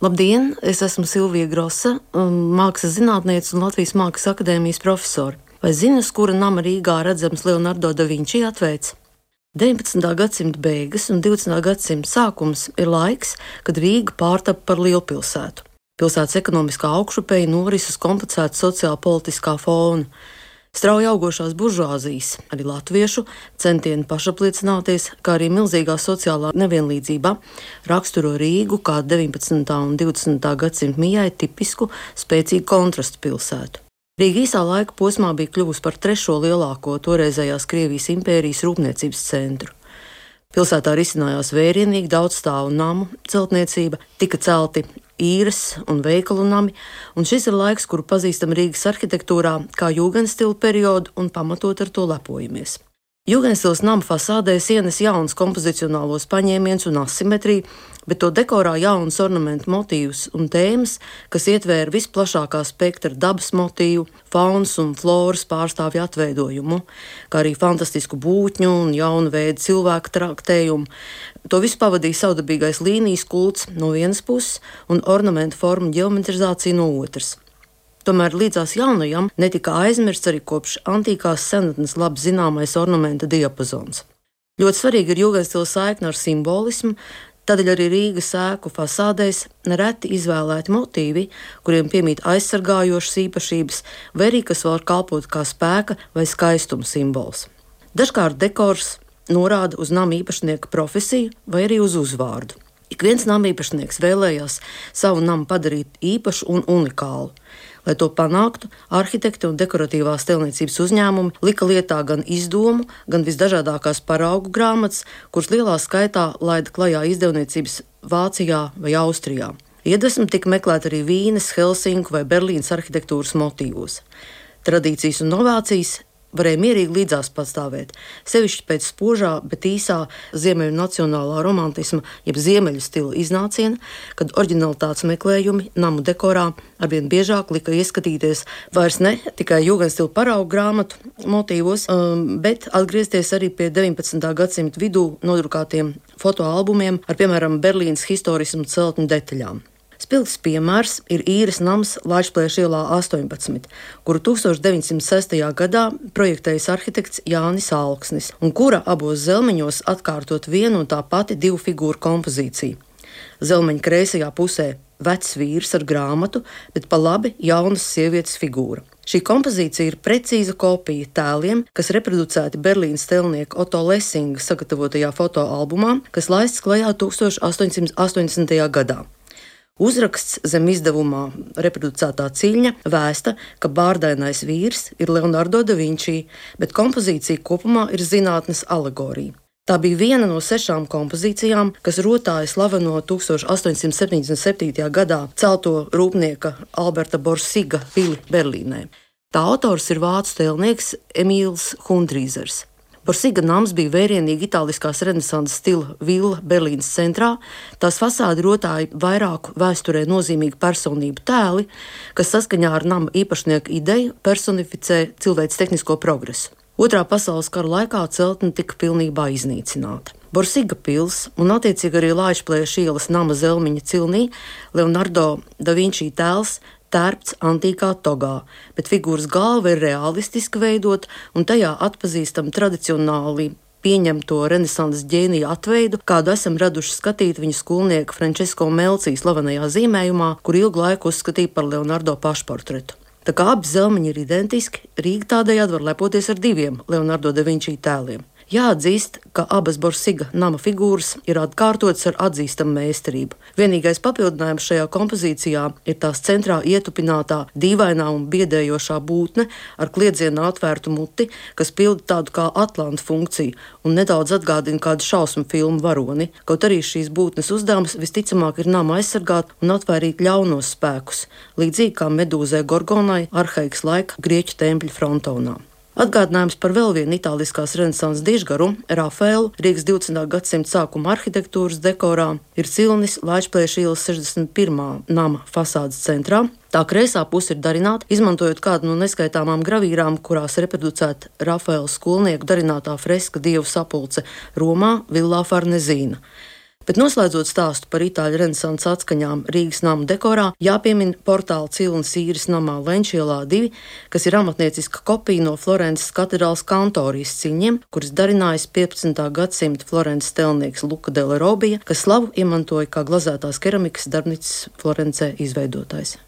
Labdien! Es esmu Silvija Grosa, mākslas zinātniece un Latvijas Mākslas akadēmijas profesore. Vai zini, uz kura nama Rīgā redzams Leonardo da Vinci atveids? 19. gadsimta beigas un 20. gadsimta sākums ir laiks, kad Rīga pārtapa par lielpilsētu. Pilsētas ekonomiskā augšupeja noris uz komplicēta sociālpolitiskā fona. Strauji augošās buržuāzijas, arī latviešu centieni pašapliecināties, kā arī milzīgā sociālā nevienlīdzība raksturo Rīgu kā 19. un 20. gadsimta mijai tipisku, spēcīgu kontrastu pilsētu. Rīga īsā laika posmā bija kļuvusi par trešo lielāko toreizējās Krievijas impērijas rūpniecības centru. Pilsētā risinājās vērienīgi daudzstāvu namu celtniecība, tika celti īres un veikalu nami, un šis ir laiks, kuru pazīstam Rīgas arhitektūrā kā jūgenstila periodu un pamatot ar to lepojamies. Jūgenstils nama fasādēs ienes jauns kompozicionālos paņēmiens un asimetriju, bet to dekorā jaunas ornamentu motīvus un tēmas, kas ietvēra visplašākā spektra dabas motīvu, faunas un floras pārstāvju atveidojumu, kā arī fantastisku būtņu un jaunu veidu cilvēku traktējumu. To visu pavadīja savdabīgais līnijas kults no vienas puses un ornamentu formu ģeometrizācija no otras. Tomēr līdzās jaunajam netika aizmirsts arī kopš antīkās senatnes labi zināmais ornamenta diapazons. Ļoti svarīgi ir jūgenstila saikne ar simbolismu, tādēļ arī Rīgas ēku fasādēs nereti izvēlēti motīvi, kuriem piemīt aizsargājošas īpašības, vai arī kas var kalpot kā spēka vai skaistuma simbols. Dažkārt dekors norāda uz nama īpašnieka profesiju vai arī uz uzvārdu. Ik viens nama īpašnieks vēlējās savu namu padarīt īpašu un unikālu. Lai to panāktu, arhitekti un dekoratīvās tēlniecības uzņēmumi lika lietā gan izdomu, gan visdažādākās paraugu grāmatas, kuras lielā skaitā laida klajā izdevniecības Vācijā vai Austrijā. Iedvesma tika meklēta arī Vīnes, Helsinku vai Berlīnas arhitektūras motīvos. Tradīcijas un novācijas varēja mierīgi līdzās pastāvēt, sevišķi pēc spožā, bet īsā ziemeļu nacionālā romantisma, jeb ziemeļu stila iznāciena, kad oriģinalitātes meklējumi namu dekorā arvien biežāk lika ieskatīties vairs ne tikai jūgenstila paraugu grāmatu motīvos, bet atgriezties arī pie 19. gadsimta vidū nodrukātiem fotoalbumiem ar, piemēram, Berlīnas historismu celtņu detaļām. Spilgts piemērs ir īres nams Laišplieša ielā 18, kuru 1906. gadā projektējis arhitekts Jānis Alksnis, un kura abos zelmeņos atkārtot vienu un tā pati divu figūru kompozīciju. Zelmeņa kreisajā pusē vecs vīrs ar grāmatu, bet pa labi jaunas sievietes figūra. Šī kompozīcija ir precīza kopija tēliem, kas reproducēti Berlīnas tēlnieka Otto Lessinga sagatavotajā fotoalbumā, kas laists klajā 1880. gadā. Uzraksts zem izdevumā reproducētā ciļņa vēsta, ka bārdainais vīrs ir Leonardo da Vinci, bet kompozīcija kopumā ir zinātnes alegorija. Tā bija viena no 6 kompozīcijām, kas rotāja slaveno 1877. gadā celto rūpnieka Alberta Borsiga pili Berlīnē. Tā autors ir vācu tēlnieks Emīls Hundrīzers. Borsiga nams bija vērienīgi itāliskās renesanses stila villa Berlīnas centrā, tās fasādi rotāja vairāku vēsturē nozīmīgu personību tēli, kas saskaņā ar nama īpašnieka ideju personificē cilvēces tehnisko progresu. Otrā pasaules kara laikā celtne tika pilnībā iznīcināta. Borsiga pils un attiecīgi arī Laišplieša ielas nama zelmiņa cilnī Leonardo da Vinci tēls tērpts antīkā togā, bet figūras galva ir realistiski veidot un tajā atpazīstam tradicionāli pieņemto renesanses ģēnija atveidu, kādu esam raduši skatīt viņa skolnieka Francesco Melci slavenajā zīmējumā, kur ilgu laiku uzskatīja par Leonardo pašportretu. Tā kā abi zelmiņi ir identiski, Rīga tādējādi var lepoties ar 2 Leonardo da Vinci tēliem. Jāatzīst, ka abas Borsiga nama figūras ir atkārtotas ar atzīstamu meistarību. Vienīgais papildinājums šajā kompozīcijā ir tās centrā ietupinātā, dīvainā un biedējošā būtne ar kliedzienā atvērtu muti, kas pilda tādu kā atlantu funkciju un nedaudz atgādina kādu šausmu filmu varoni, kaut arī šīs būtnes uzdevums visticamāk ir nama aizsargāt un atvairīt ļaunos spēkus, līdzīgi kā medūzē Gorgonai arhaikas laika grieķu tempļa frontonā. Atgādinājums par vēl vienu itāliskās renesanses dižgaru, Rafaelu, Rīgas 20. gadsimta sākuma arhitektūras dekorā, ir cilnis Laišplieša ielas 61. nama fasādes centrā. Tā kreisā puse ir darināta, izmantojot kādu no neskaitāmām gravīrām, kurās reproducēta Rafaela skolnieku darinātā freska Dievu sapulce Romā, Villā Farnezīna. Bet noslēdzot stāstu par itāļu renesanses atskaņām Rīgas nama dekorā, jāpiemina portāla Cilnes īres namā Lenčielā 2, kas ir amatnieciska kopija no Florences katedrāles kantorijas ciņiem, kuras darinājis 15. gadsimta Florences tēlnieks Luka della Robbija, kas slavu iemantoja kā glazētās keramikas darbnīcas Florencē izveidotājs.